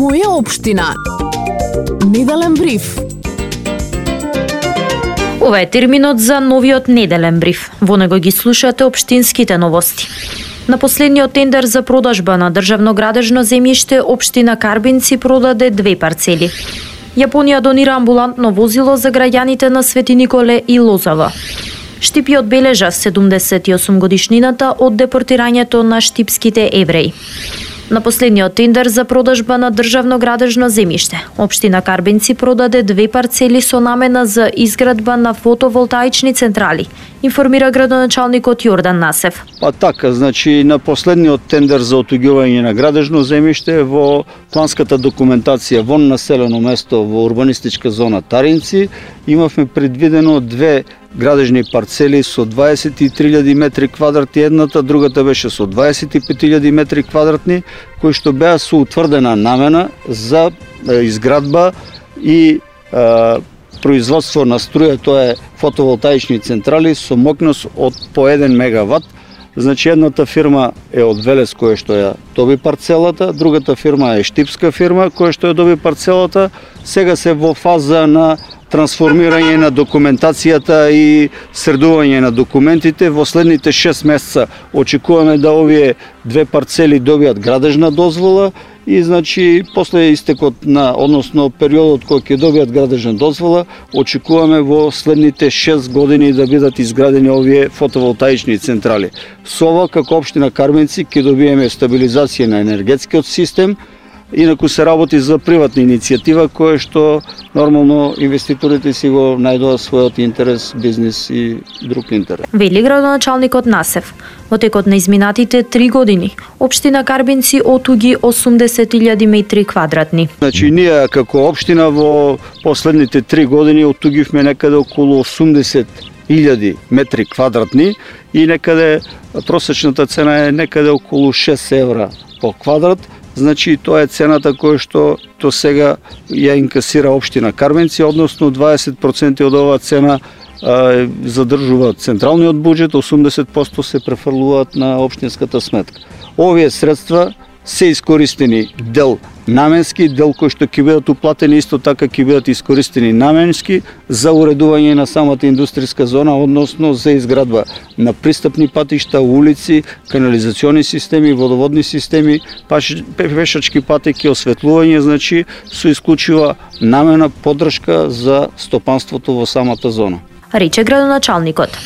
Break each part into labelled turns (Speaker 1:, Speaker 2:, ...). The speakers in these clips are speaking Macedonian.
Speaker 1: Моја општина. Неделен бриф.
Speaker 2: Ова е терминот за новиот неделен бриф. Во него ги слушате општинските новости. На последниот тендер за продажба на државно градежно земјиште, општина Карбинци продаде 2 парцели. Јапонија донира амбулантно возило за граѓаните на Свети Николе и Лозава. Штипи одбележа 78 годишнината од депортирањето на штипските евреи. На последниот тендер за продажба на државно градежно земјиште, општина Карбинци продаде 2 парцели со намена за изградба на фотоволтаични централи, информира градоначалникот Јордан Насев.
Speaker 3: Па така, значи на последниот тендер за отуѓување на градежно земјиште во планската документација во населено место во урбанистичка зона Таринци имавме предвидено 2 градежни парцели со 23.000 метри квадратни едната, другата беше со 25.000 метри квадратни, кои што беа со утврдена намена за изградба и производство на струја, тоа е фотоволтаични централи со мокност од по 1 мегават. Значи едната фирма е од Велес која што ја доби парцелата, другата фирма е штипска фирма која што ја доби парцелата. Сега се во фаза на трансформирање на документацијата и средување на документите. Во следните 6 месеца очекуваме да овие 2 парцели добијат градежна дозвола и значи после истекот на, односно периодот кој ќе добијат градежна дозвола, очекуваме во следните 6 години да бидат изградени овие фотоволтаични централи. Со ова како општина Карбинци ќе добиеме стабилизација на енергетскиот систем. Инаку се работи за приватна иницијатива која што нормално инвеститорите си го најдоа својот интерес, бизнес и друг интерес.
Speaker 2: Вели градоначалникот Насев. Во текот на изминатите 3 години, општина Карбинци отуги 80.000 метри квадратни.
Speaker 3: Значи ние како општина во последните 3 години отугивме некаде околу 80.000 метри квадратни и некаде просечната цена е некаде околу 6 евра по квадрат. Значи тоа е цената која што до сега ја инкасира општина Карбинци, односно 20% од оваа цена задржува централниот буџет, 80% се префрлуваат на општинската сметка. Овие средства се искористени дел наменски, дел кои што ќе бидат уплатени исто така ќе бидат искористени наменски за уредување на самата индустријска зона, односно за изградба на пристапни патишта, улици, канализациони системи, водоводни системи, пешачки патеки, осветлување, значи со исклучива намена поддршка за стопанството во самата зона.
Speaker 2: Рече градоначалникот.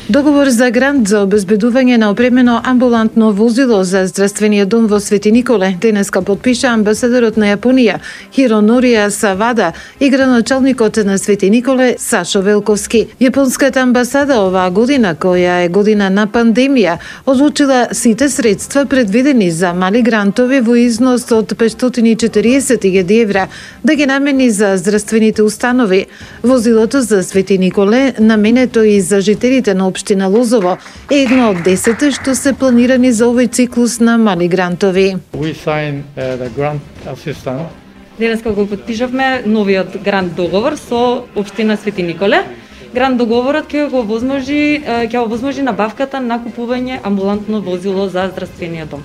Speaker 4: Договор за грант за обезбедување на опремено амбулантно возило за здравствениот дом во Свети Николе денеска подпиша амбасадорот на Јапонија Хиронорија Савада и градоначалникот на Свети Николе Сашо Велковски. Јапонската амбасада оваа година, која е година на пандемија, одлучила сите средства предвидени за мали грантови во износ од 540.000 евра да ги намени за здравствените установи. Возилото за Свети Николе, наменето и за жителите на општина Лозово, е едно од 10 што се планирани за овој циклус на мали грантови.
Speaker 5: Денеска го подпишавме новиот грант договор со општина Свети Николе. Грант договорот ќе го овозможи набавката на купување амбулантно возило за здравствениот дом.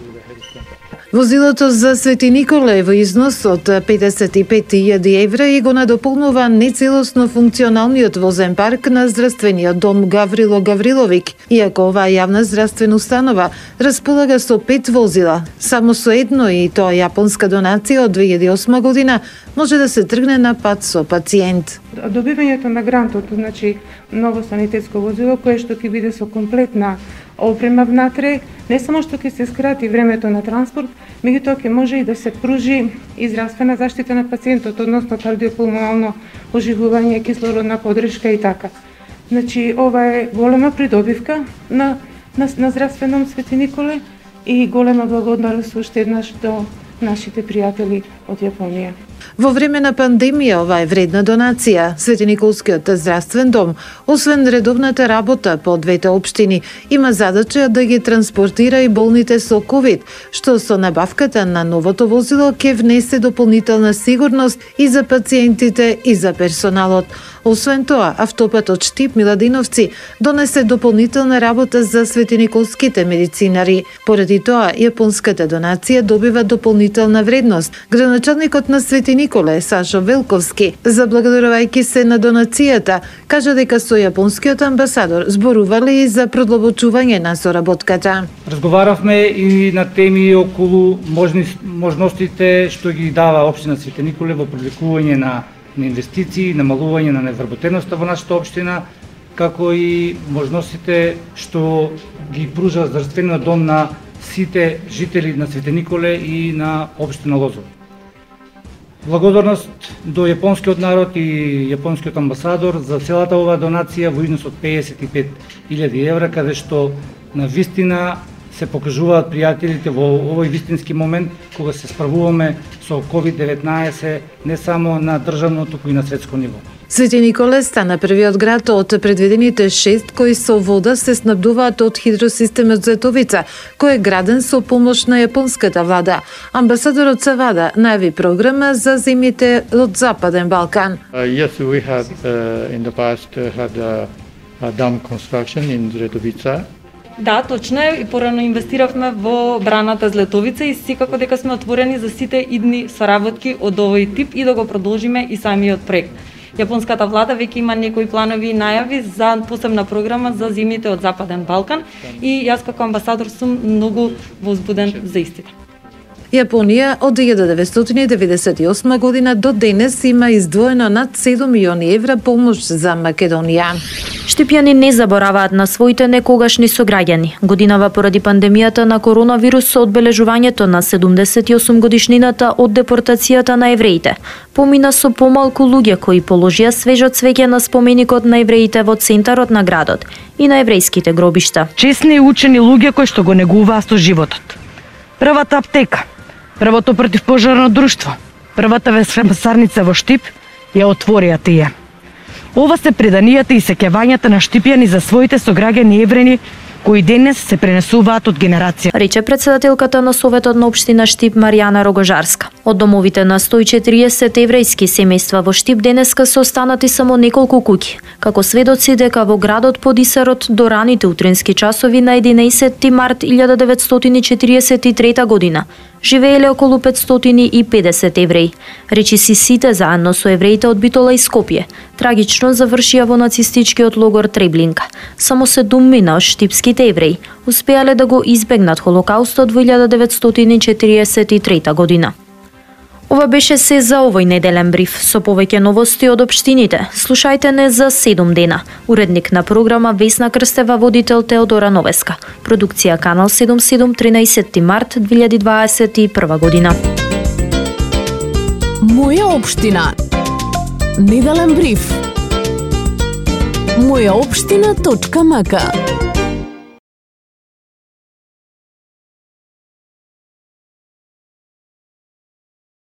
Speaker 4: Возилото за Свети Николе во износ од 55.000 евра и го надополнува нецелосно функционалниот возен парк на здравствениот дом Гаврило Гавриловик. Иако оваа јавна здравствена установа располага со 5 возила, само со едно, и тоа јапонска донација од 2008 година, може да се тргне на пат со пациент.
Speaker 6: Добивањето на грантот, значи ново санитетско возило кое што ќе биде со комплетна опрема внатре, не само што ќе се скрати времето на транспорт, меѓутоа ќе може и да се пружи и здравствена заштита на пациентот, односно кардиопулмонално оживување, кислородна поддршка и така. Значи ова е голема придобивка на здравственом Свети Николе и голема благодарност уште еднаш до нашите пријатели од Јапонија.
Speaker 4: Во време на пандемија ова е вредна донација. Свети Николскиот здравствен дом, освен редовната работа по двете општини, има задача да ги транспортира и болните со COVID, што со набавката на новото возило ќе внесе дополнителна сигурност и за пациентите и за персоналот. Освен тоа, автопатот Штип Миладиновци донесе дополнителна работа за светиниколските медицинари. Поради тоа, јапонската донација добива дополнителна дополнителна вредност. Градоначалникот на Свети Николе, Сашо Велковски, заблагодарувајќи се на донацијата, кажа дека со јапонскиот амбасадор зборувале и за продлабочување на соработката.
Speaker 7: Разговаравме и на теми околу можностите што ги дава општина Свети Николе во привлекување на инвестиции, намалување на невработеноста во нашата општина, како и можностите што ги пружа здравствениот дом на сите жители на Свети Николе и на општина Лозово. Благодарност до јапонскиот народ и јапонскиот амбасадор за целата оваа донација во износ од 55.000 евра, каде што на вистина се покажуваат пријателите во овој вистински момент кога се справуваме со COVID-19 не само на државно, туку и на светско ниво.
Speaker 4: Свети Николе стана првиот град од предвидените 6 кои со вода се снабдуваат од хидросистемот Зетовица, кој е граден со помош на јапонската влада. Амбасадорот Савада најави програма за земјите од Западен Балкан.
Speaker 8: Yes, we had in the past had a dam construction in Zretovica.
Speaker 5: Да, точно е, и порано инвестиравме во браната Злетовица и секако дека сме отворени за сите идни соработки од овој тип и да го продолжиме и самиот проект. Јапонската влада веќе има некои планови и најави за посебна програма за земјите од Западен Балкан и јас како амбасадор сум многу возбуден за истите.
Speaker 4: Јапонија од 1998 година до денес има издвоено над 7 милиони евра помош за Македонија.
Speaker 2: Штипјани не забораваат на своите некогашни сограѓани. Годинава поради пандемијата на коронавирус со одбележувањето на 78 годишнината од депортацијата на евреите. Помина со помалку луѓе кои положија свежо цвеќе на споменикот на евреите во центарот на градот и на еврејските гробишта.
Speaker 9: Чесни и учени луѓе кои што го негуваат со животот. Првата аптека, првото противпожарно друштво, првата весарница во Штип ја отворија тие. Ова се преданијата и сеќавањата на штипјани за своите сограѓани еврени кои денес се пренесуваат од генерација.
Speaker 2: Рече председателката на Советот на општина Штип Маријана Рогожарска. Од домовите на 140 еврејски семејства во Штип денеска се останати само неколку куќи, како сведоци дека во градот под Исарот до раните утрински часови на 11 март 1943 година живееле околу 550 евреи. Речиси сите заедно со евреите од Битола и Скопје трагично завршија во нацистичкиот логор Треблинка. Само 7 од штипските евреи успеале да го избегнат Холокаустот во 1943 година. Ова беше се за овој неделен бриф. Со повеќе новости од општините, слушајте не за 7 дена. Уредник на програма Весна Крстева, водител Теодора Новеска. Продукција Канал 77, 13 март 2021 година.
Speaker 1: Моја општина. Неделен бриф. Мојаопштина.мк